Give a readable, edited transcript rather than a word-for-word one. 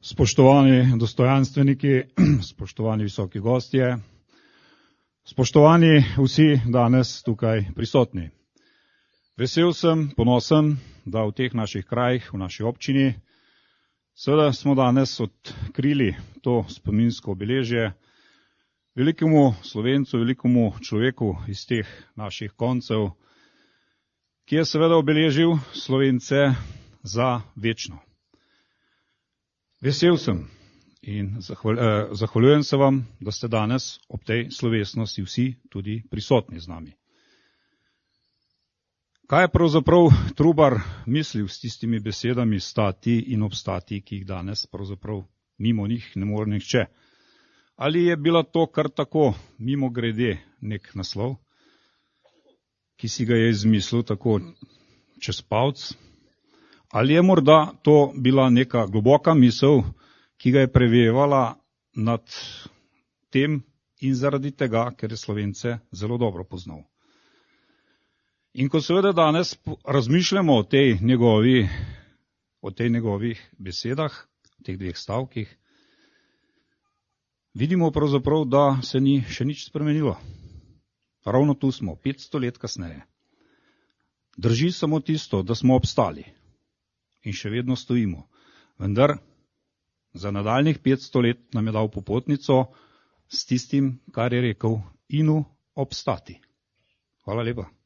Spoštovani dostojanstveniki, spoštovani visoki gostje, spoštovani vsi danes tukaj prisotni. Vesel sem, ponosen, da v teh naših krajih, v naši občini, seveda smo danes odkrili to spominsko obeležje velikemu Slovencu, velikemu človeku iz teh naših koncev, ki je seveda obeležil Slovence za večno. Vesel sem in zahvaljujem se vam, da ste danes ob tej slovesnosti vsi tudi prisotni z nami. Kaj je pravzaprav Trubar mislil s tistimi besedami stati in obstati, ki jih danes pravzaprav mimo njih ne more nihče? Ali je bila to kar tako mimo grede nek naslov, ki si ga je izmislil tako čez palc? Ali je morda to bila neka globoka misel, ki ga je prevevala nad tem in zaradi tega, ker je Slovence zelo dobro poznal? In ko seveda danes razmišljamo o teh njegovih besedah, o teh dveh stavkih, vidimo pravzaprav, da se ni še nič spremenilo. Ravno tu smo, 500 let kasneje. Drži samo tisto, da smo obstali. In še vedno stojimo. Vendar za nadaljnih 500 let nam je dal popotnico s tistim, kar je rekel, inu obstati. Hvala lepa.